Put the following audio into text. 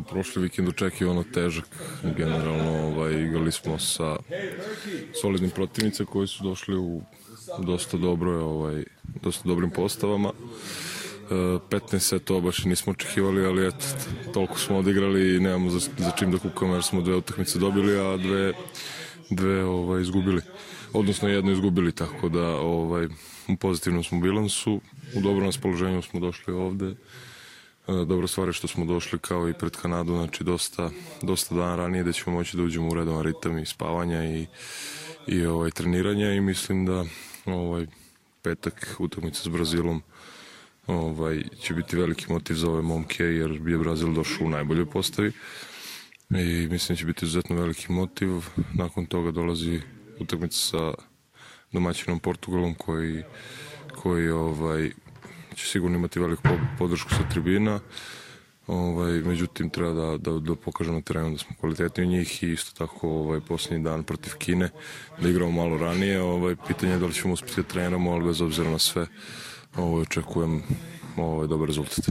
Prošli vikend očekivano težak, generalno igrali smo sa solidnim protivnicama koji su došli u dosta dobrim postavama. 15 setova baš nismo očekivali, ali eto, toliko smo odigrali i nemamo za čim da kukamo jer smo 2 utakmice dobili, a dve izgubili. Odnosno jednu izgubili, tako da u pozitivnom smo bilansu, u dobrom raspoloženju smo došli ovde. Dobra stvar je što smo došli kao i pred Kanadu, znači dosta dana ranije da ćemo moći da uđemo u redovan ritam i spavanja i treniranja i mislim da petak utakmica s Brazilom će biti veliki motiv za ove momke jer je Brazil došao u najboljoj postavi i mislim da će biti izuzetno veliki motiv. Nakon toga dolazi utakmica sa domaćinom Portugalom koji će sigurno imati veliku podršku sa tribina. Međutim, treba da pokažemo na terenu da smo kvalitetni u njih i isto tako posljednji dan protiv Kine da igramo malo ranije. Pitanje je da li ćemo uspjeti da treniramo, ali bez obzira na sve očekujem dobar rezultat.